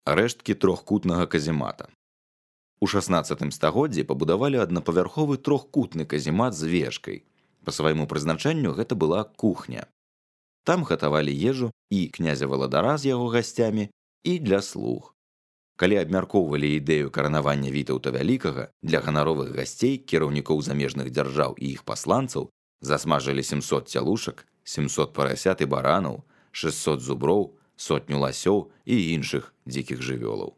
рэшткі трохкутнага каземата. У 16 стагоддзі пабудавалі аднапавярховы трохкутны каземат з вежкай. Па свайму прызначэнню гэта была кухня. Там гатавалі ежу і князя Валадара з яго гасцямі, і для слуг. Калі абмяркоўвалі ідэю каранавання Вітаўта Вялікага, для ганаровых гасцей, кіраўнікоў замежных дзяржаў і іх пасланцаў засмажылі 700 цялушак, 700 парасят і баранаў, 600 зуброў, 100 ласёў і іншых дзікіх жывёлаў.